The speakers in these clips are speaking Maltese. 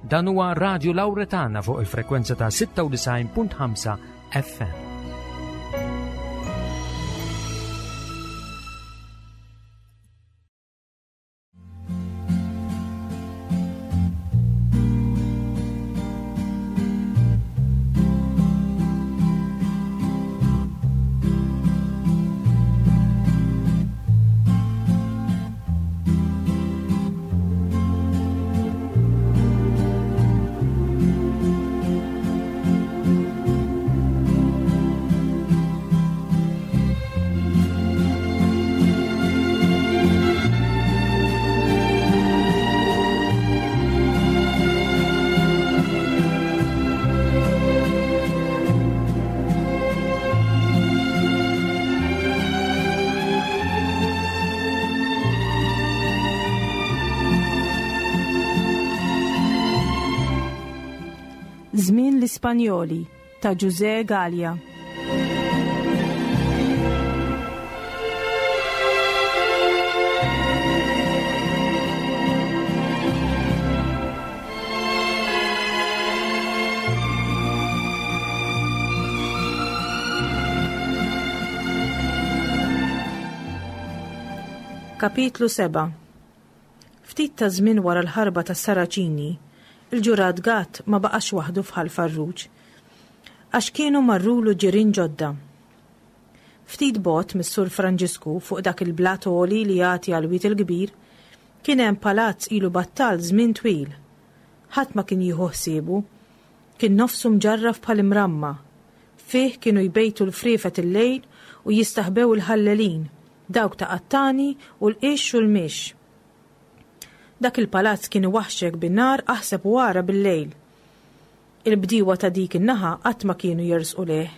Dan huwa Radio Lauretana fuq il-frekwenza ta' 96.5 FM. Żmien l-Ispanjoli ta' Ġużè Galea. Kapitlu 7 Ftit ta' żmien wara l-ħarba tas-Saraċini, il-ġurat Gatt ma baqax waħdu f'Ħal Farruġ, għax kienu marrulu ġirien ġodda. Ftit bogħod mis-Sur Franġisku fuq dak il-blat għoli li jagħti għall-Wied il-Kbir, kien hemm palazz ilu battal żmien twil. Ħadd ma kien jieħu ħsiebu. Kien nofsu mġarraf bħal imramma. Fih kienu jbejtu l-friefet illejl u jistaħbew il-ħallelin, dawk ta' qattani u l-qix u l-mix. Dak il-palazz kien iwaħħxek bin-nar aħseb u ara bil-lejl. Il-bdiewa ta' dik in-naħa qatt ma kienu jersqu lejh,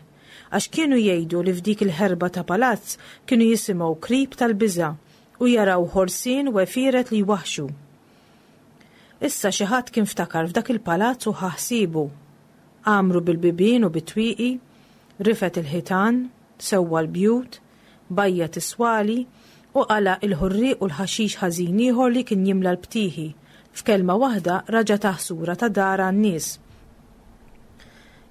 għax kienu jgħidu li f'dik il-ħerba ta' palazz kienu jisimgħu krib tal-biża' u jaraw ħorsien u għefieret li jwaħħxu. Issa xi ħadd kien ftakar f'dak il-palazz u ħa ħsiebu. Għamru bil-bibien u bit-twieqi, rifed il-ħitan, sewwa l-bjut, bajjad is-swali u qala' il-ħurrieq u l-ħaxix ħażin ieħor li kien jimla l-btieħi, f'kelma waħda raġa' tah sura ta' dar għan-nies.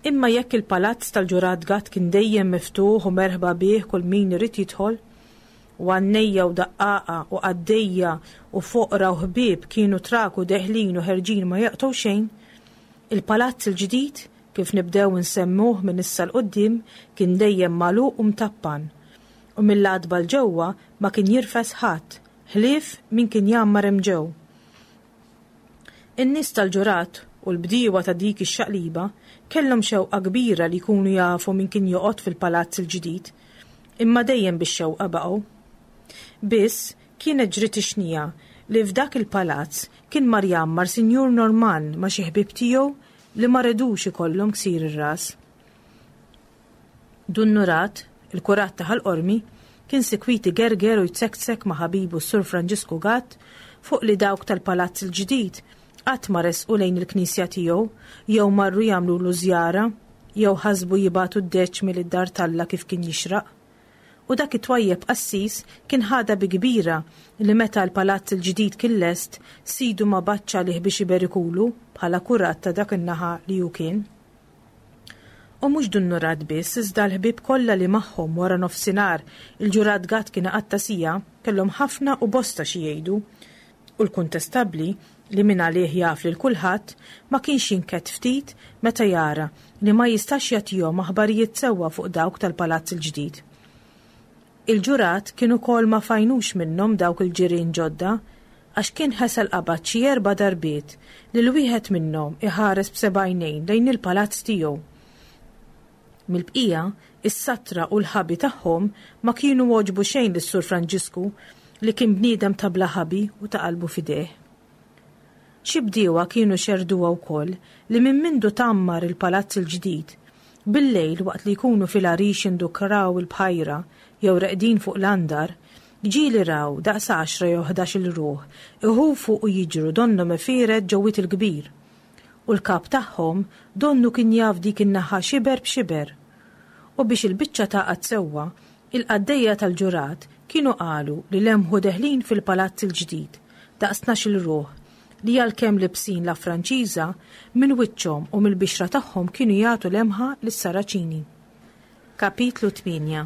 Imma jekk il-palazz tal-ġurat Gatt kien dejjem miftuħ u merħba bih kull min irid jidħol, u għannejja u daqqaqa u qaddejja u foqra u ħbieb kienu traku deħlin u ħerġin ma jaqtgħu xejn, il-palazz il-ġdid kif nibdew insemmuh minn issa 'l quddiem, kien dejjem magħluq u mtappan, u mill-għatba 'l ġewwa ma kien jirfes ħadd, ħlief min kien jgħammar hemm ġew. In-nies tal-ġurat u l-bdiewa ta' dik ix-xaqliba kellhom xewqa kbira li jkunu jafu min kien joqgħod fil-palazz il-ġdid, imma dejjem bix-xewqa baqgħu. Biss, kienet ġriet ix-xniegħa li f'dak il-palazz kien mar jgħammar Sinjur Normann ma' xi ħbieb tiegħu li ma redux ikollhom ksir ir-ras. Dun Nurat, il-kurat ta' Ħal Qormi, kien sikwit igerger u jzekzek ma' ħabibu s-Sur Franġisku Gatt fuq li dawk tal-palazz il-ġdid qatt ma resqu lejn il-knisja tiegħu jew marru jagħmlulu żjara jew ħasbu jibagħtu d-deċmi lid-dar t'Alla kif kien jixraq. U dak it-twajjeb qassis kien ħadha bi kbira li meta l-palazz il-ġdid kien lest, sidu ma bagħatx għalih biex iberikulu bħala kurat ta' dak in-naħa li hu kien. U mhux Dun Nurat biss iżda l-ħbieb kollha li magħhom wara nofsinhar il-ġurat Gatt kien iqatta' siegħa kellhom ħafna u bosta xi jgħidu. U l-kuntestabbli, li mingħalih jaf lil kulħadd, ma kienx jinkedd ftit meta jara li ma jistax jagħtihom aħbarijiet sewwa fuq dawk tal-palazz il-ġdid. Il-ġurat kien ukoll ma f'għajnux minnhom dawk il-ġirien ġodda, għax kien ħesel qabad xi erba' darbiet lil wieħed minnhom iħares b'seba' għajnejn lejn il-palazz tiegħu. Mill-bqija, is-satra u l-ħabi tagħhom ma kienu għoġbu xejn lis-Sur Franġisku li kien bniedem ta' bla ħabi u ta' qalbu f'idejh. Xi bdiewa kienu xerrduha wkoll li minn mindu tgħammar il-palazz il-ġdid, bil-lejl waqt li jkunu fil-għarix jindukraw il-bħajra jew reqdin fuq l-andar, ġieli raw daqs għaxra jew ħdax-il ruħ iħufu u jiġru donnhom għefieret ġo Wied il-Kbir. U l-kap tagħhom donnu kien jaf dik in-naħa xiber b'xiber. U biex il-biċċa tagħqad sewwa, il-qaddejja tal-ġurat kienu qalu li lemħu deħlin fil-palazz il-ġdid daqs tnax-il ruħ. li għalkemm libsin la Franċiża, minn wiċċhom u mill-bixra tagħhom kienu jagħtu lemħa lis-Saraċini. Kapitlu 8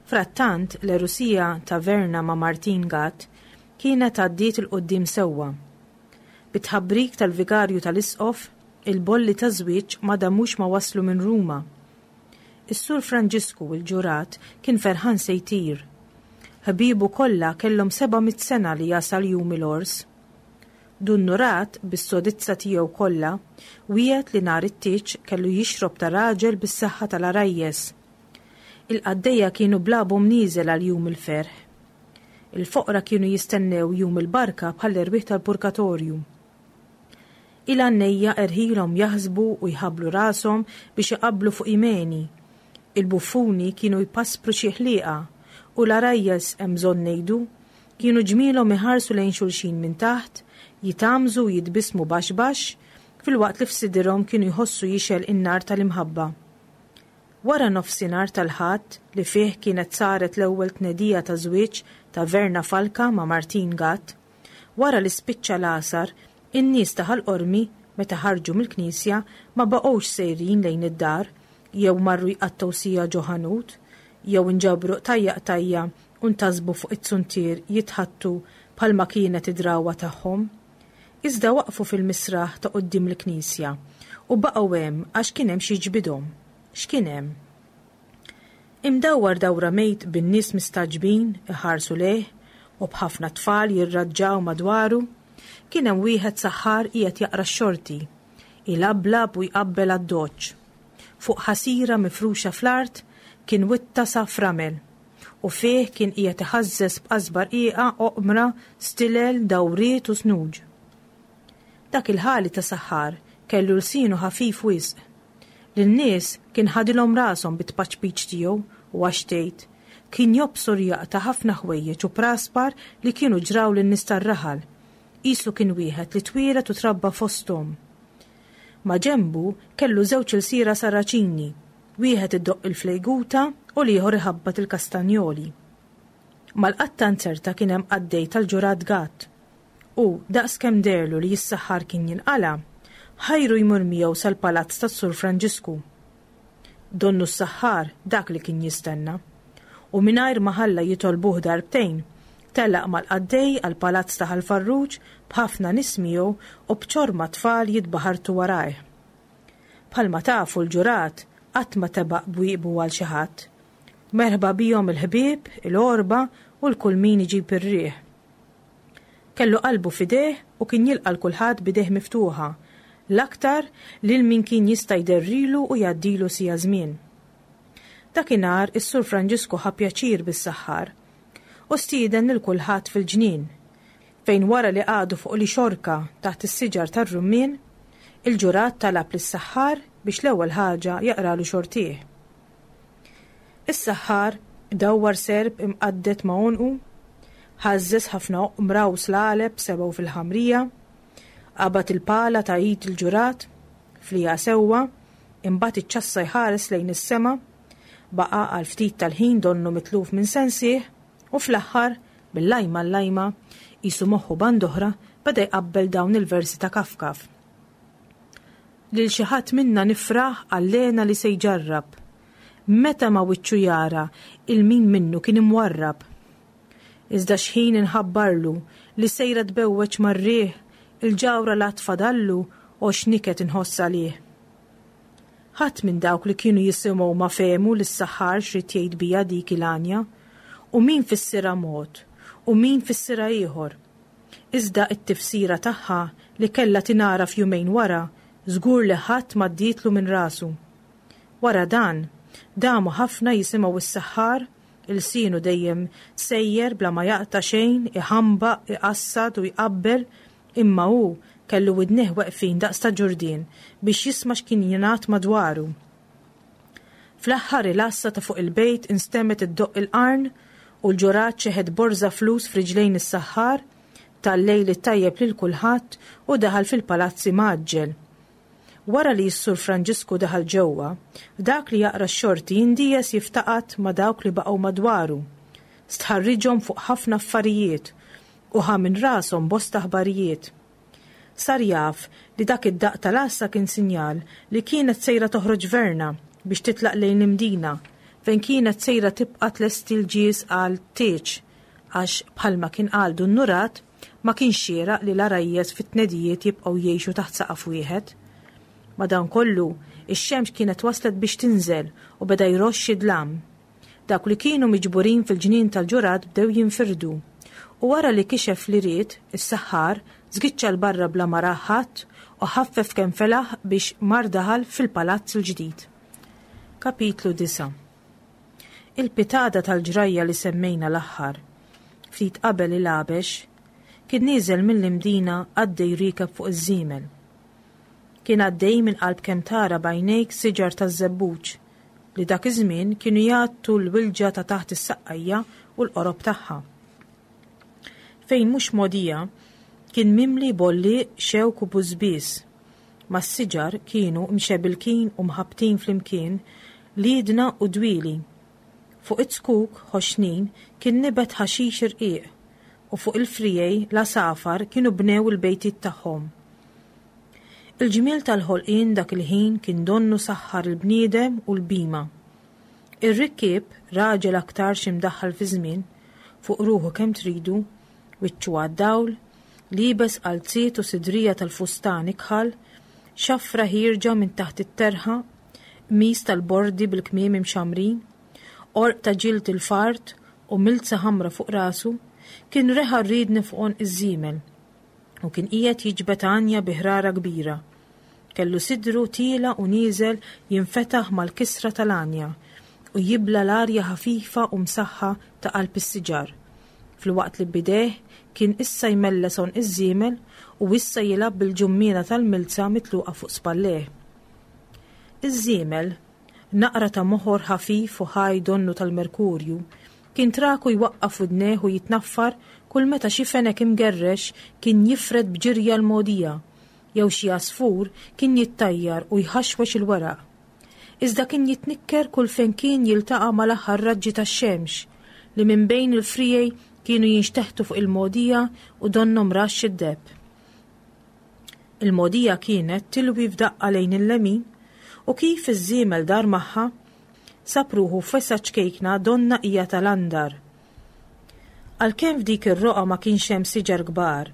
Frattant, l-għerusija ta' Verna ma' Martin Gatt kienet għaddiet 'il quddiem sewwa. Bit-tħabbrik tal-vigarju tal-isqof, il-bolli taż-żwieġ ma damux ma waslu minn Ruma. Is-Sur Franġisku, il-ġurat, kien ferħan se jtir. Ħbiebu kollha kellhom 700 sena li jasal jum il-għors. Dun Nurat, bis-sodizza tiegħu kollha, wiegħed li nhar it-tieġ kellu jixrob ta' raġel bis-saħħa tal-għarajjes. Il-qaddejja kienu blabhom nieżel għal jum il-ferħ. Il-foqra kienu jistennew jum il-barka bħall-erwieħ tal-purgatorju. Il-għannejja erħilhom jaħsbu u jħabblu rashom biex iqabblu fuq imeni. Il-buffuni kienu jpaspru xi ħlieqa u l-għarajjes, hemm bżonn ngħidu, kienu ġmielhom iħarsu lejn xulxin minn taħt, jitgħammżu u jitbissmu baxx baxx, filwaqt li f'sidirhom kienu jħossu jixgħel in-nar tal-imħabba. Wara nofsinhar tal-Ħadd li fih kienet saret l-ewwel tnedija ta' żwieġ ta' Verna Falka ma' Martin Gatt, Wara li spiċċa l-għasar, in-nies ta' Ħal Qormi, meta ħarġu mill-knisja, ma baqgħux sejrin lejn id-dar, jew marru jqattgħu siegħa ġo ħanut, jew inġabru qtajja' qtajja' u ntasbu fuq iz-zuntier jitħaddtu bħalma kienet id-drawwa tagħhom. Iżda waqfu fil-misraħ ta' quddiem il-knisja u baqgħu hemm għax kien hemm x'jiġbidhom. X'kien hemm? Imdawwar dawra mejt bin-nies mistagħġbin iħarsu lejh u b'ħafna tfal jirraġġaw madwaru, kien hemm wieħed saħħar qiegħed jaqra x-xorti, ilablab u jqabbel għad-doċċ. Fuq ħasira mifruxa fl-art kien witta saff ramel u fih kien qiegħed iħażżeż b'qasba rqiqa oqmra, stilel, dawriet u snuġ. Dak il-ħali ta' saħħar kellu lsienu ħafif wisq. Lin-nies kien ħadilhom rashom bit-tpaċpiċ tiegħu u għax tgħid, kien jobsor jaqta' ħafna ħwejjeġ u praspar li kienu ġraw lin-nies tar-raħal. Qisu kien wieħed li twieled u trabba fosthom. Maġenbu kellu żewġ ilsiera Saraċini, wieħed idoqq il-flejguta u l-ieħor iħabbat il-kastanjoli. Mal-qatta nzerta kien hemm qaddej tal-ġurat Gatt. U, daqs kemm deherlu li s-saħħar kien jinqala', ħajru jmur miegħu sal-palazz tas-Sur Franġisku. Donnu s-saħħar dak li kien jistenna. U mingħajr ma ħalla jitolbuh darbtejn, telaq mal-qaddej għall-palazz ta' Ħal Farruġ b'ħafna nies miegħu u b'ċorma tfal jitbaħartu warajh. Bħalma tafu l-ġurat qatt ma tebaq bwieqbu għal xi ħadd. Merħba bihom il-ħbieb, il-għorba u 'l kull min iġib ir-riħ. Kellu qalbu f'idejh u kien jilqa' 'l kulħadd b'idejh miftuħa, l-aktar lil min kien jista' jderrilu u jgħaddilu siegħa żmien. Dakinhar is-Sur Franġisku ħa pjaċir bis-saħħar u stieden lil kulħadd fil-ġnien, fejn wara li qagħdu fuq li xorka taħt is-siġar tar-rummien, il-ġurat talab lis-saħħar biex l-ewwel ħaġa jaqralu xortih. Is-saħħar dawwar serp imqadded ma' għonqu, ħażżeż ħafna oqmra u slaleb sebgħu fil-ħamrija, qabad il-pala ta' id il-ġurat, flieha sewwa, imbagħad iċċassa jħares lejn is-sema, baqa' għal ftit tal-ħin donnu mitluf minn sensih u fl-aħħar, bil-lajma l-lajma, qisu moħħu band'oħra, beda jqabbel dawn il-versi ta' Kafkaf. Lil xi ħadd minna nifraħ għall-hena li se jġarrab. Meta ma' wiċċu jara 'il min minnu kien imwarrab. Iżda x'ħin inħabbarlu li sejra tbewweġ mar-riħ il-ġawhra l-għad fadallu o x'niket inħoss għalih. Ħadd minn dawk li kienu jisimgħu ma fehmu lis-saħħar x'ried jgħid biha dik il-għanja, u min fissirha mod u min fissirha ieħor. Iżda t-tifsira tagħha li kellha tingħaraf jumejn wara żgur li ħadd m'għaddietlu minn rasu. Wara dan, damu ħafna jisimgħu s-saħħar, ilsienu dejjem sejjer bla ma jaqta' xejn, iħambaq, iqassad u jqabbel, imma hu kellu widnejh weqfin daqs ta' ġurdien biex jisma' x'kien jingħad madwaru. Fl-aħħar il-għassa ta' fuq il-bejt instemgħet iddoqq il-qarn u l-ġurat xeħet borża flus f'riġlejn is-saħħar, ta l-lejl it-tajjeb lil kulħadd u daħal fil-palazz imgħaġġel. Wara li s-Sur Franġisku daħal ġewwa, dak li jaqra x-xorti indijes jiftaqad ma' dawk li baqgħu madwaru. Stħarriġhom fuq ħafna affarijiet u ħa minn rashom bosta aħbarijiet. Sar jaf li dak id-daqq tal-għassa kien sinjal li kienet sejra toħroġ Verna biex titlaq lejn l-Imdina fejn kienet sejra tibqa' tlesti l-ġież għal tieġ għax bħalma kien qal Dun Nurat ma kienx xieraq li l-għarajjes fit-tnedijiet jibqgħu jgħixu taħt saqaf wieħed. Madankollu, ix-xemx kienet waslet biex tinżel u beda jroxx id-dlam. Dawk li kienu miġburin fil-ġnien tal-ġurat bdew jinfirdu. U wara li kixef li ried, is-saħħar, żgiċċa 'l barra bla ma rah ħadd u ħaffef kemm felaħ biex mar daħal fil-palazz il-ġdid. Kapitlu 9 Il-pitada tal-ġrajja li semmejna l-aħħar, ftit qabel il-għabex, kien nieżel mill-Imdina għaddej riekeb fuq iż-żiemel. Kien għaddej minn qalb kemm tara b'għajnejk siġar taż-żebbuġ li dak iż-żmien kienu jgħattu l-wilġa ta' taħt is-saqqajja u l-qorob tagħha. Fejn mhux mogħdija kien mimli bolliq, xewk u bużbież. Mas-siġar kienu mxebilkin u mħabbtin flimkien liedna u dwieli. Fuq iz-zkuk ħoxnin kien nibet ħaxix irqiq u fuq il-friegħi l-għasafar kienu bnew il-bejtiet tagħhom. Il-ġmiel tal-ħolqien dak il-ħin kien donnu saħħar il-bniedem u l-bhima. Ir-rikkieb, raġel aktarx imdaħħal fiż-żmien, fuq ruħu kemm tridu, wiċċu għad-dawl, liebes qalziet u sidrija tal-fustan ikħal, xafra ħierġa minn taħt it-terħa, qmis tal-bordi bil-kmiem imxammrin, għorq ta' ġild il-fart u milza ħamra fuq rasu, kien reħa r-riedni fuq għonq iż-żiemel u kien qiegħed jiġbed għanja bi ħrara kbira. Kellu sidru tiela' u nieżel jinfetaħ mal-kisra tal-għanja u jibla' l-arja ħafifa u msaħħa ta' qalb is-siġar, filwaqt li b'idejh kien issa jmelles għonq iż-żiemel u issa jilgħab bil-ġummiena tal-milza mitluqa fuq spallejh. Iż-żiemel, naqra ta' moħor ħafif u ħaj donnu tal-merkurju, kien traku jwaqqaf widnejh u jitnaffar kull meta xi fenek imgerrex kien jifred b'ġirja l-mogħdija, jew xi għasfur kien jittajjar u jħaxwex il-weraq. Iżda kien jitnikker kull fejn kien jiltaqa' mal-aħħar raġġi tax-xemx li minn bejn il-friegħi kienu jinxteħtu fuq il-mogħdija u donnhom raxx id-deheb. Il-mogħdija kienet tilwi f'daqqa lejn il-lemin u kif iż-żiemel dar magħha, sab ruħu f'wesgħa ċkejkna donnha hija tal-andar. Għalkemm f'dik ir-roqgħa ma kienx hemm siġar kbar,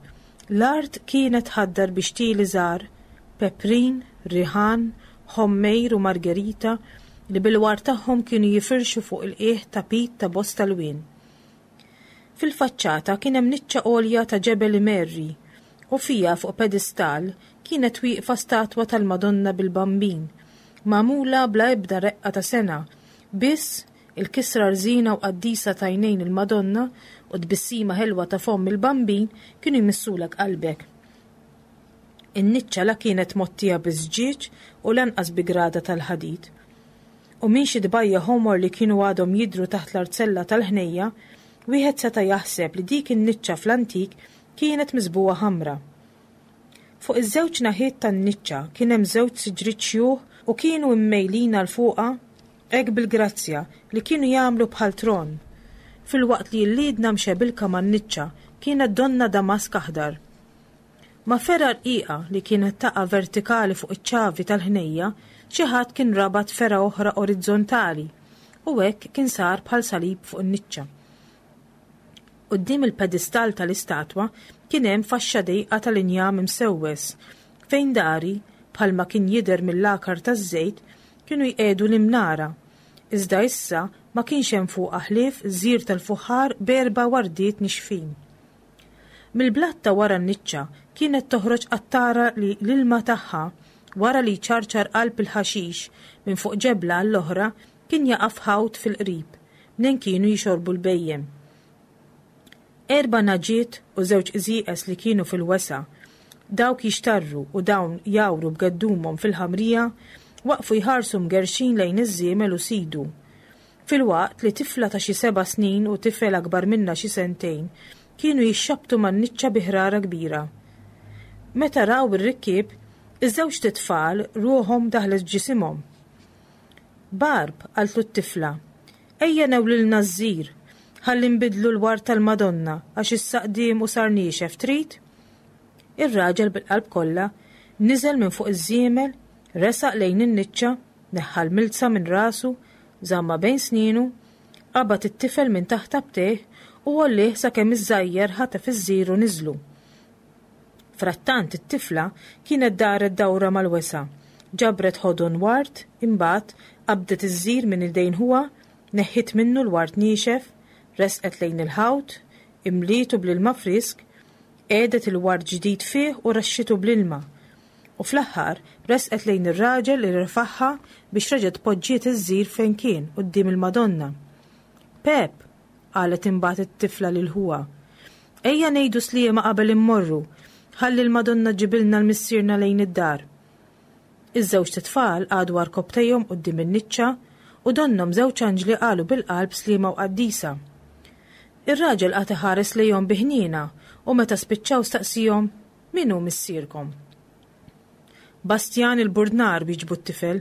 l-art kienet tħaddar bi xtieli żgħar, peprin, riħan, ħommejr u margerita li bil-ward tagħhom kienu jifirxu fuq il-qiegħ tapit ta' bosta lwien. Fil-faċċata kien hemm niċċa għolja ta' ġebel imerri u fiha fuq pedestall kienet wieqfa statwa tal-Madonna bil-Bambin, magħmula bla ebda reqqa ta' sengħa, biss il-kisra rżina u qaddisa t'għajnejn il-Madonna u t-tbissima ħelwa ta' fomm il-Bambin kienu jmissulek qalbek. In-niċċa la kienet mgħottija biż-żġieġ u lanqas bi grada tal-ħadid. U minn xi tbajja' ħomor li kienu għadhom jidhru taħt l-arzella tal-ħnejja, wieħed seta' jaħseb li dik in-niċċa fl-antik kienet miżbugħa ħamra. Fuq iż-żewġ naħiet tan-niċċa kien hemm żewġ siġriet xjuħ u kienu mmejlin għal fuqha hekk bil-grazzja li kienu jagħmlu bħal tron, filwaqt li l-liedna mxebilka man-niċċa kienet donnha damask aħdar. Ma' fergħa rqiqa li kienet taqa' vertikali fuq iċ-ċavi tal-ħnejja, xi ħadd kien rabat fergħa oħra orizzontali u hekk kien sar bħal salib fuq in-niċċa. Quddiem il-pedestall tal-istatwa kien hemm faxxa dejqa tal-injam imsewwes, fejn dari, bħalma kien jidher mill-għakar taż-żejt, kienu jqiegħdu l-imnara, iżda issa ma kienx hemm fuqha ħlief żir tal-fuħħar b'erba' wardiet nixfin. Mill-blat ta' wara n-niċċa kienet toħroġ qattara li l-ilma tagħha, wara li jċarċar qalb il-ħaxix minn fuq ġebla għall-oħra, kien jaqa' f'ħawt fil-qrib, mnejn kienu jixorbu l-bhejjem. Erba' nagħġiet u żewġ qżieqeż li kienu fil-wesgħa, dawk jixtarru u dawn jgħawru b'geddumhom fil-ħamrija, waqfu jħarsu mgerrxin lejn iż-żiemel u sidu. Filwaqt li tifla ta' xi seba' snin u tifel akbar minnha xi sentejn kienu jixxabbtu man-niċċa bi ħrara kbira. Meta raw ir-rikkieb, iż-żewġt itfal ruħhom daħlet f'ġisimhom. Barb, qaltlu t-tifla, ejja newlilna ż-żir, ħalli nbiddlu l-ward tal-Madonna għax issa qdiem u sar niexef, trid? Ir-raġel bil-qalb kollha niżel minn fuq iż-żiemel, resaq lejn in-niċċa, neħħa l-milza minn rasu, żammha bejn snienu, qabad it-tifel minn taħt abtejh u għollieh sakemm iż-żgħajjer ħatef iż-żir u niżlu. Frattant it-tifla kienet daret dawra mal-wesgħa, ġabret ħodon ward, imbagħad qabdet iż-żir minn idejn ħuha, neħħiet minnu l-ward niexef, resqet lejn il-ħawt, imlietu bl-ilma frisk, qiegħdet il-ward ġdid fih u raxxitu bl-ilma. U fl-aħħar resqet lejn ir-raġel li refagħha biex reġgħet poġġiet iż-żir fejn kien quddiem il-Madonna. Pep! qalet imbagħad it-tifla lil ħuha. Ejja ngħidu sliema qabel immorru, ħalli l-Madonna ġġibilna l-missierna lejn id-dar. Iż-żewġt itfal qagħdu għarkopptejhom quddiem in-niċċa u donnhom żewġ anġli qalu bil-qalb sliema u qaddisa. Ir-raġel qagħad iħares lejhom bi ħniena u meta spiċċaw staqsihom, Min hu missierkom? Bastjan il-Burdnar, wieġbu t-tifel.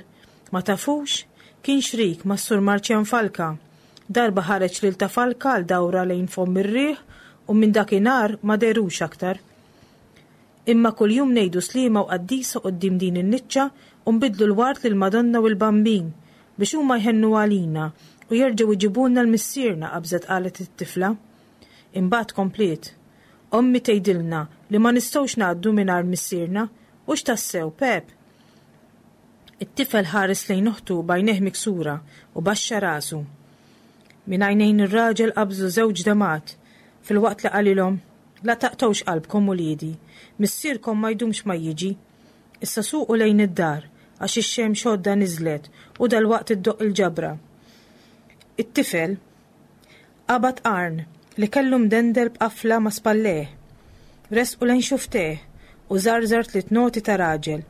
Ma tafux? Kien xrik mas-Sur Marċjan Falka. Darba ħareġ lil ta' Falka għal dawra lejn fomm ir-riħ u minn dakinhar ma dehrux aktar. Imma kuljum ngħidu sliema u qaddisa quddiem din in-niċċa u nbiddlu l-ward lill-Madonna u l-Bambin biex huma jħennu għalina u jerġgħu jġibulna l-missierna, qabżet qalet it-tifla. Imbagħad kompliet, Ommi tgħidilna li ma nistgħux ngħaddu mingħajr missierna, hux tassew, Pep? It-tifel ħares lejn oħtu b'għajnejh miksura u baxxa rasu. Minn għajnejn ir-raġel qabżu żewġ demgħat filwaqt li qalilhom, La taqtgħux qalbkom uliedi, missierkom ma jdumx ma jiġi. Issa suqu lejn id-dar, għax ix-xemx għoddha niżlet u dalwaqt iddoqq il-ġabra. It-tifel qabad qarn li kellu mdendel b'qafla ma' spallejh, ressqu lejn xufftejh u żarżar tliet noti ta' raġel.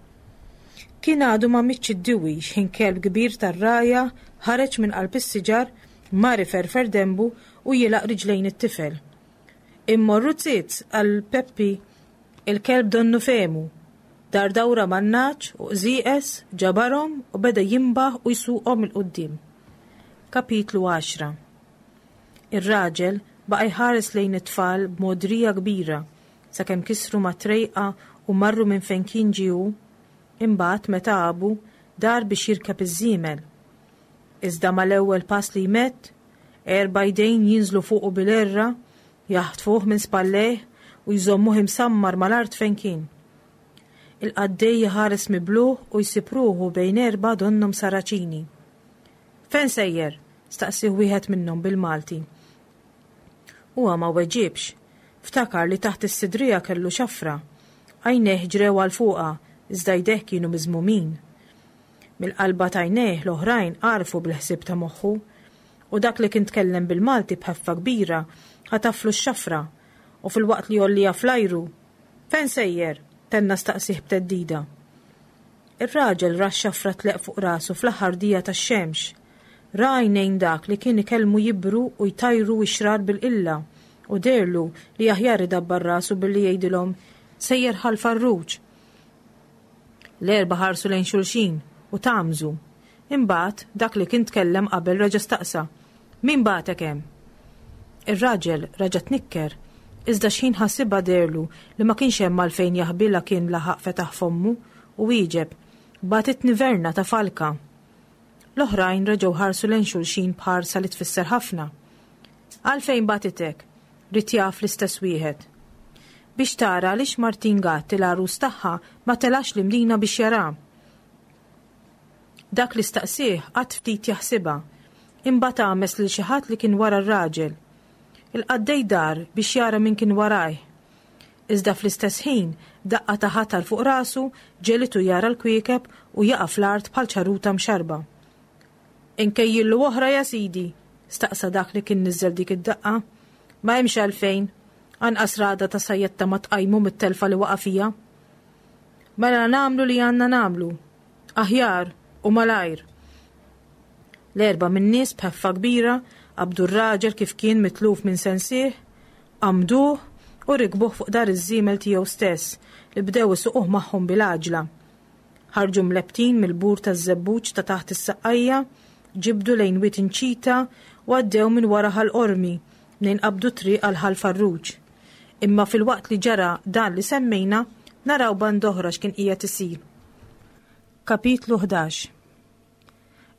Kien għadu ma mietx id-diwi x'ħin kelb kbir tar-rgħajja ħareġ minn qalb is-siġar, mar iferfer denbu u jilgħaq riġlejn it-tifel. Immorru zizz, qal Peppi. Il-kelb donnu fehmu. Dar dawra man-nagħaġ u qżieqeż, ġabarhom u beda jinbaħ u jsuqhom 'il quddiem. Kapitlu Għaxra Ir-raġel baqa' jħares lejn it-tfal b'mogħdrija kbira sakemm kisru mat-trejqa u marru minn fejn kien ġie hu. Imbagħad meta għabu, dar biex jirkeb iż-żiemel. Iżda mal-ewwel pass li jmedd, Erba' jdejn jinżlu fuqu bil-għerra, jaħtfuh minn spallejh u jżommuh imsammar mal-art fejn kien. Il-qaddej iħares mibluh u jsib ruħu bejn erbgħa donnhom Saraċini. Fejn sejjer? staqsieh wieħed minnhom bil-Malti. Huwa ma weġibx. Ftakar li taħt is-sidrija kellu xafra. Għajnejh ġrew għal fuqha, iżda jdejh kienu miżmumin. Mill-qalba t'għajnejh l-oħrajn għarfu bil-ħsieb ta' moħħu. U dak li kien tkellem bil-Malti b'ħeffa kbira ħataflu x-xafra u filwaqt li għollieha fl-ajru, Fejn sejjer? tenna staqsieh b'theddida. Ir-raġel ra x-xafra tleqq fuq rasu fl-aħħar dija tax-xemx. Ra għajnejn dak li kien ikellmu jibru u jtajru x-xrar bil-qilla u dehrlu li aħjar idabbar rasu billi jgħidilhom, Sejjer Ħal Farruġ! L-erbgħa ħarsu lejn xulxin u tgħammżu. Imbagħad, dak li kien tkellem qabel reġa' staqsa, Min bagħtek hemm? Ir-raġel raġa' tnikker, iżda xħin ħasibha dehrlu li ma kienx hemm għalfejn jaħbi la kien laħaq fetaħ fommu u wieġeb, Bagħtitni Verna ta' Falka. L-oħrajn reġgħu ħarsu lejn xulxin b'ħarsa li tfisser ħafna. Għalfejn bagħtitek? Ried jaf l-istess wieħed. Biex tara għaliex Martin Gatt il-għarus tagħha ma telax l-Imdina biex jaraha. Dak li staqsieh qagħad ftit jaħsibha. Imbagħad għames lil xi ħadd li kien wara r-raġel. Il-qaddej dar biex jara min kien warajh. Iżda fl-istess ħin, daqqa ta' ħatar fuq rasu ġegħlitu jara l-kwiekeb u jaqa' fl-art bħal ċaruta mxarrba. Inkejjillu oħra ja sidi? staqsa dak li kien niżżel dik id-daqqa. Ma hemmx għalfejn. Anqas ragħda ta' sajjetta ma tqajmu mit-telfa li waqa' fiha. Mela nagħmlu li għandna nagħmlu. Aħjar u malajr. L-erbgħa min-nies b'ħeffa kbira qabdu r-raġel kif kien mitluf minn sensih, qamduh u rikbuh fuq dar iż-żiemel tiegħu stess li bdew isuquh magħhom bil-għaġla. Ħarġu mlebbtin mill-bur taż-żebbuġ ta' taħt is-Saqqajja, ġibdu lejn Wied Inċita u għaddew minn wara Ħal Qormi mnejn qabdu t-triq għal Ħal Farruġ. Imma filwaqt li ġara dan li semmejna, naraw band'oħra x'kien qiegħed isir. Kapitlu 11.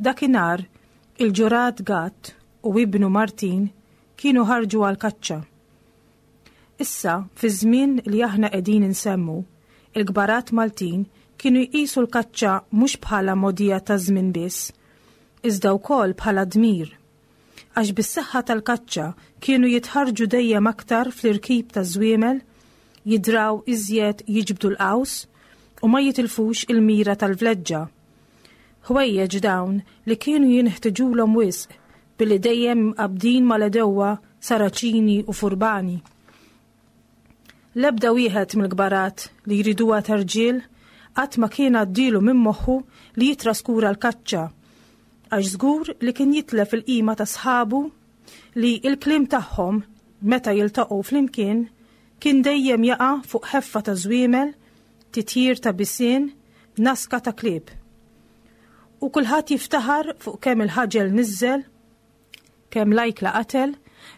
Dakinhar, il-ġurat Gatt u ibnu Martin kienu ħarġu għall-kaċċa. Issa, fiż-żmien li aħna qegħdin insemmu, il-kbarat Maltin kienu jqisu l-kaċċa mhux bħala mogħdija taż-żmien biss, iżda wkoll bħala dmir. Għax bis-saħħa tal-kaċċa kienu jitħarrġu dejjem aktar fl-irkib taż-żwiemel, jidraw iżjed jiġbdu l-qaws u ma jitilfux il-mira tal-vleġġa. Ħwejjeġ dawn li kienu jinħtiġulhom wisq billi dejjem mqabbdin mal-għedewwa Saraċini u Furbani. L-ebda wieħed mill-kbarat li jriduha ta' rġiel qatt ma kien għaddielu minn moħħu li jittraskura l-kaċċa, għax żgur li kien jitlef il-qima ta' sħabu li l-kliem tagħhom meta jiltaqgħu flimkien kien dejjem jaqa' fuq ħeffa ta' żwiemel, titjir ta' bisien, naska ta' klieb. U kulħadd jiftaħar fuq kemm il-ħaġel niżżel, kemm l-ajkla qatel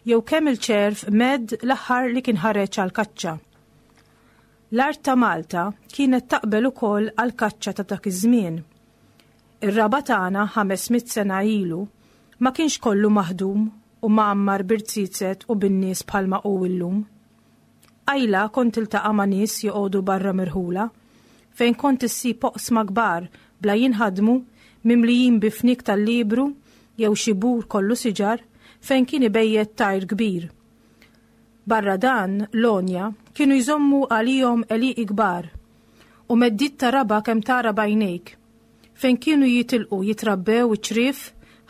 jew kemm il-ċerv medd l-aħħar li kien ħareġ għall-kaċċa. L-art ta' Malta kienet taqbel ukoll għall-kaċċa ta' dak iż-żmien. Ir-raba' tagħna 500 sena ilu ma kienx kollu maħdum u mgħammar b'irziezet u bin-nies bħalma hu illum. Qajla kont tiltaqa' ma' nies joqogħdu barra mirħula, fejn kont issib oqsma kbar bla jinħadmu mimlijin bi fniek tal-liebru jew xi bur kollu siġar fejn kien ibejjet tajr kbir. Barra dan, l-għonja kienu jżommu għalihom għelieqi kbar u meddiet ta' raba' kemm tara b'għajnejk, fejn kienu jitilqu jitrabbew iċ-ċriev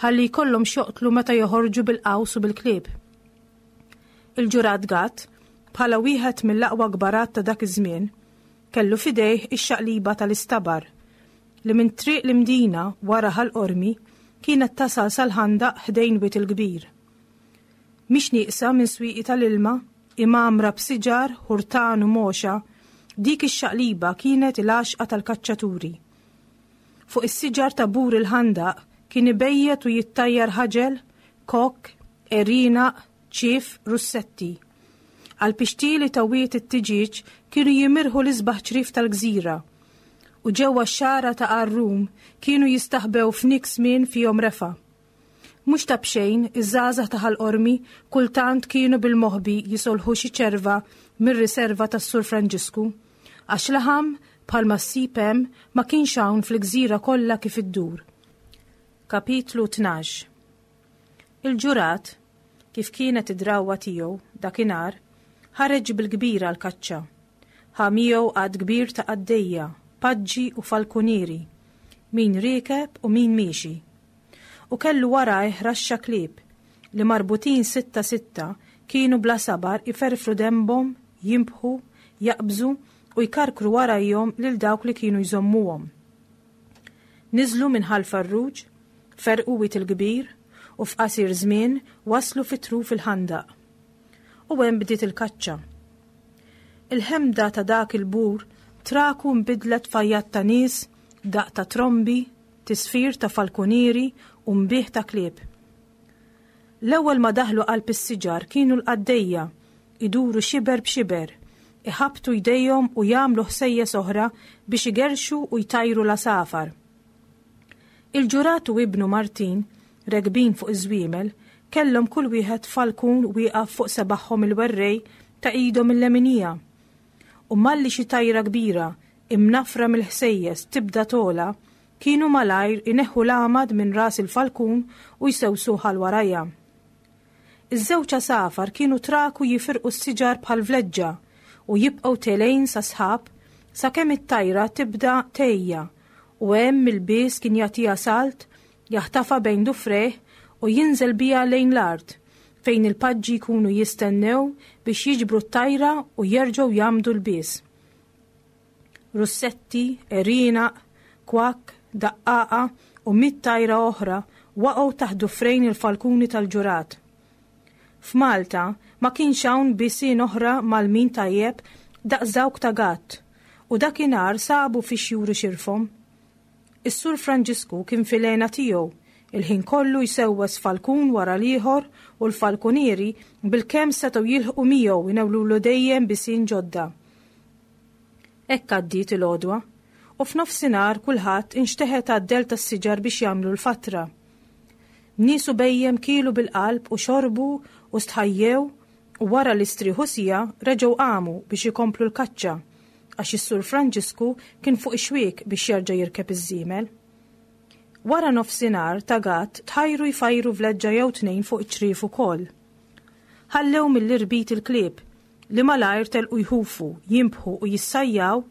ħalli jkollhom x'joqtlu meta joħorġu bil-qaws u bil-klieb. Il-ġurat Gatt, bħala wieħed mill-aqwa kbarat ta' dak iż-żmien, kellu f'idejh ix-xaqliba tal-istabar, li minn Triq l-Imdina wara Ħal Qormi kienet tasal sal-ħandaq ħdejn Wied il-Kbir. Mhix nieqsa minn swieqi tal-ilma, imgħammra b'siġar, ħurtan u moxa, dik ix-xaqliba kienet il-għaxqa tal-kaċċaturi. Fuq is-siġar ta' bur il-ħandaq kien ibejjet u jittajjar ħaġel, kokk, għerienaq, ċief, russetti. Għall-pixtieli ta' Wied it-Tiġieġ kienu jimirħu l-isbaħ ċriev tal-gżira. U ġewwa x-xagħra ta' Għar-Rum kienu jistaħbew fniek smien fihom refgħa. Mhux ta' b'xejn, iż-żgħażagħ ta' Ħal Qormi kultant kienu bil-moħbi jisolħu xi ċerva mir-riserva tas-Sur Franġisku, għax laħam bħalma ssib hemm ma kienx hawn fil-gżira kollha kif iddur. Kapitlu 12 Il-ġurat, kif kienet id-drawwa tiegħu, dakinhar, ħareġ bil-kbir għall-kaċċa. Ħa miegħu għadd kbir ta' qaddejja, paġġi u falkunieri, min riekeb u min miexi. U kellu warajh raxxa klieb, li marbutin sitta sitta kienu bla sabar iferfru denbhom, jinbħu, jaqbżu u jkarkru warajhom lil dawk li kienu jżommuhom. Niżlu minn Ħal Farruġ, ferrqu Wied il-Kbir u f'qasir żmien waslu fi truf il-ħandaq. U hemm bdiet il-kaċċa. Il-ħemda ta' dak il-bur traku nbidlet f'għajjat ta' nies, daqq ta' trombi, tisfir ta' falkunieri u nbieħ ta' klieb. L-ewwel ma daħlu qalb is-siġar kienu l-qaddejja, iduru xiber b'xiber, iħabbtu jdejhom u jagħmlu ħsejjes oħra biex igerrxu u jtajru l-għasafar. Il-ġurat u ibnu Martin, rekbin fuq iż-żwiemel, kellhom kull wieħed falkun wieqaf fuq sebagħhom il-werrej ta' idhom il-leminija. U malli xi tajra kbira, imnaffra mill-ħsejjes, tibda togħla, kienu malajr ineħħu l-għamad minn ras il-falkun u jsewsuh għal warajha. Iż-żewġ għasafar kienu traku jifirqu s-siġar bħal vleġġa u jibqgħu telgħin sas-sħab sakemm it-tajra tibda tgħejja u hemm il-bies kien jagħtiha salt, jaħtafha bejn dufrejh u jinżel biha lejn l-art fejn il-paġġi jkunu jistennew biex jiġbru t-tajra u jerġgħu jgħammdu l-bies. Russetti, għerienaq, kwakk, daqqaqa u mitt tajra oħra waqgħu taħt dufrejn il-falkuni tal-ġurat. F'Malta ma kienx hawn bisien oħra mgħallmin tajjeb daqs dawk ta' Gatt u dakinhar sabu fiex juru xirfhom. Is-Sur Franġisku kien fil-hena tiegħu, Il-ħin kollu jsewwes falkun wara l-ieħor u l-falkunieri bilkemm setgħu jilħqu miegħu jnewlulu dejjem bisien ġodda. Hekk għaddiet il-għodwa, u f'nofsinhar kulħadd inxteħet għad-dell tas-siġar biex jagħmlu l-fatra. Nies u bhejjem kielu bil-qalb u xorbu u stħajjew u wara li strieħu siegħa reġgħu qamu biex ikomplu l-kaċċa għax is-Sur Franġisku kien fuq ix-xwiek biex jerġa' jirkeb iż-żiemel. Wara nofsinhar ta' Gatt tħajru jfajru vleġġa jew tnejn fuq iċ-ċriev ukoll. Ħallew mill-irbit il-klieb li malajr telqu jħufu, jinbħu u jissajjaw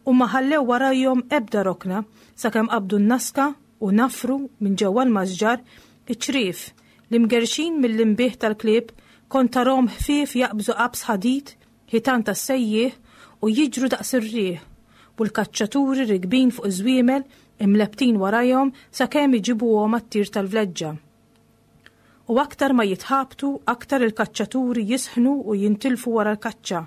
u ma ħallew warajhom ebda rokna sakemm qabdu n-naska u nafru minn ġewwa l-masġar iċ-ċriev li mgerrxin mill-inbiħ tal-klieb kont tarahom ħfief jaqbżu qabż ħadid ħitan tas-sejjieħ u jiġru daqs ir-riħ u l-kaċċaturi rikbin fuq iż-żwiemel imlebbtin warajhom sakemm iġibuhom għat-tir tal-vleġġa. U aktar ma jitħabtu, aktar il-kaċċaturi jisħnu u jintilfu wara l-kaċċa.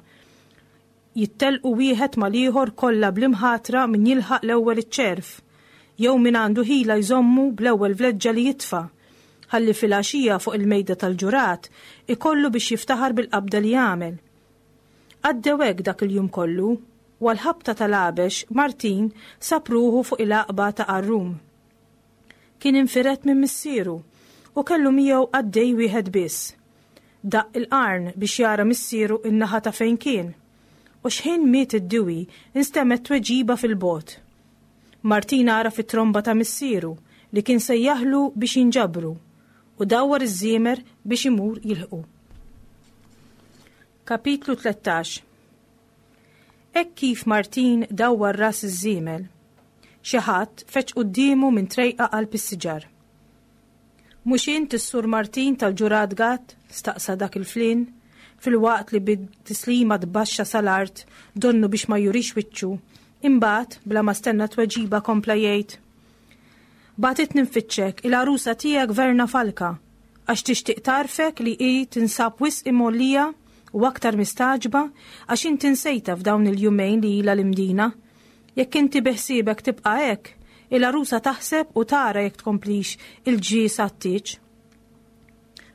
Jittellqu wieħed mal-ieħor kollha bl-imħatra min jilħaq l-ewwel iċ-ċerv, jew min għandu ħila jżommu bl-ewwel vleġġa li jitfa', ħalli filgħaxija fuq il-mejda tal-ġurat ikollu biex jiftaħar bil-qabda li għamel. Għaddew hekk dak il-jum kollu, u għall-ħabta tal-għabex Martin sab ruħu fuq il-għaqba ta' Qarrum. Kien infired minn missieru u kellu miegħu qaddej wieħed biss. Daqq il-qarn biex jara missieru n-naħa ta' fejn kien. U xħin miet id-diwi nstemgħet tweġiba fil-bogħod. Martin għaraf it-tromba ta' missieru li kien sejjaħlu biex jinġabru u dawwar iż-żiemer biex imur jilħqu. Kapitlu 13 Hekk kif Martin dawwar ras iż-żiemel, xi ħadd feġġ quddiemu minn trejqa qalb is-siġar. Mhux int is-Sur Martin tal-Ġurat Gatt? staqsa dak il-flien, filwaqt li bi tislima tbaxxa sal-art donnu biex ma jurix wiċċu. Imbagħad, bla ma stenna tweġiba kompla jgħid, Bagħtitni nfittxek il-għarusa tiegħek Verna Falka, għax tixtieq tgħarrfek li hi tinsab wisq imgħollija u aktar mistagħġba għax inti nsejtha f'dawn il-jumejn li ilha l-Imdina. Jekk inti beħsiebek tibqa' hekk, il-għarusa taħseb u tara jekk tkomplix il-ġies għat-tieġ.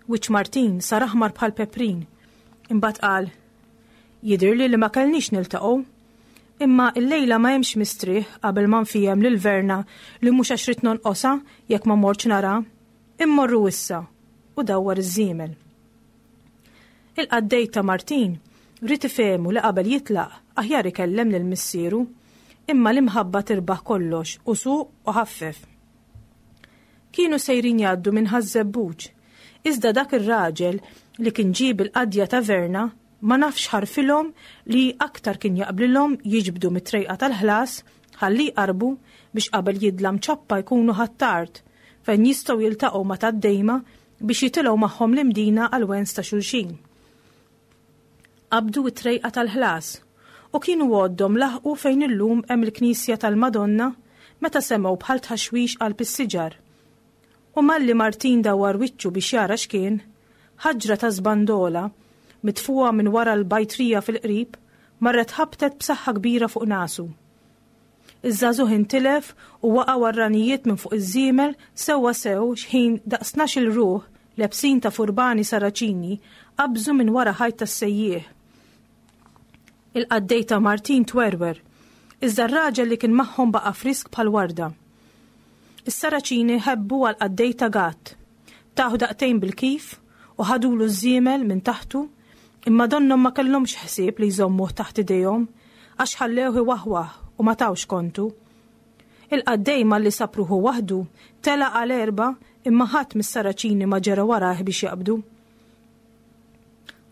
Wiċċ Martin sar aħmar bħal peprin. Imbagħad qal, Jidhirli li ma kellniex niltaqgħu. Imma illejla ma hemmx mistrieħ qabel ma nfiehem lil Verna li mhux għax ridt nonqosha jekk ma mortx nara. Immorru issa! U dawwar iż-żiemel. Il-qaddej ta' Martin ried ifehmu li qabel jitlaq aħjar ikellem lil missieru, imma l-imħabba tirbaħ kollox u suq u ħaffef. Kienu sejrin jgħaddu minn Ħaż-Żebbuġ, iżda dak ir-raġel li kien ġie bil-qadja ta' Verna ma nafx ħarfilhom li aktar kien jaqblilhom jiġbdu mit-trejqa tal-ħlas ħalli jqarrbu biex qabel jidlam ċappa jkunu Ħ'Attard fejn jistgħu jiltaqgħu ma' tad-Dejma biex jitilgħu magħhom l-Imdina għall-wens ta' xulxin. Qabdu t-trejqa tal-ħlas u kienu għoddhom laħqu fejn illum hemm il-knisja tal-Madonna meta semgħu bħal tħaxwix qalb is-siġar. U malli Martin dawwar wiċċu biex jara x'kien, ħaġra ta' żbandola, mitfugħa minn wara l-bajtrija fil-qrib, marret ħabtet b'saħħa kbira fuq nasu. Iż-żagħżugħ intilef u waqgħu għar-ranijiet minn fuq iż-żiemel sewwa sew x'ħin daqs tnax-il ruħ lebsin ta' furbani Saraċini qabżu minn wara ħajt tas-sejjieħ. Il-qaddej ta' Martin twerwer, iżda r-raġel li kien magħhom baqa' frisk bħal warda. Is-Saraċini ħebbu għall-qaddej ta' Gatt. Tawh daqtejn bil-kif u ħadulu ż-żiemel minn taħtu, imma donnhom ma kellhomx ħsieb li jżommuh taħt idejhom, għax ħallewh iwaħwaħ u ma tawx kontu. Il-qaddej malli sab ruħu waħdu, telaq għal għerba imma ħadd mis-Saraċini ma ġera warajh biex jaqbdu.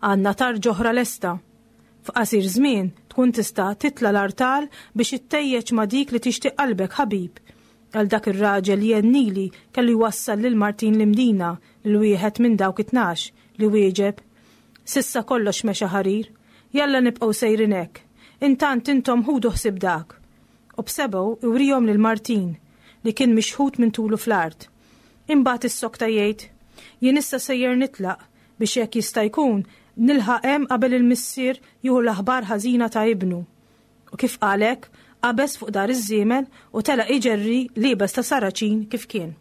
Għandna tarġa oħra lesta. F'qasir żmien tkun tista' titla' l-artal biex ittejjeġ ma' dik li tixtieq qalbek ħabib, għal dak ir-raġel li jennili kellu jwassal lil Martin l-Imdina lil wieħed minn dawk it-tnax li wieġeb, S'issa kollox mexa ħarir. Jalla nibqgħu sejrin hekk. Intant intom ħudu ħsieb dak. U b'sebgħu iwrihom lil Martin li kien mixħut minn tulu fl-art. Imbagħad issokta jgħid, Jien issa sejjer nitlaq biex jekk jista' jkun nilħaq hemm qabel il-missier jieħu l-aħbar ħażina ta' ibnu. U kif qal hekk, qabeż fuq dar iż-żiemel u telaq iġerri liebes ta' Saraċin kif kien.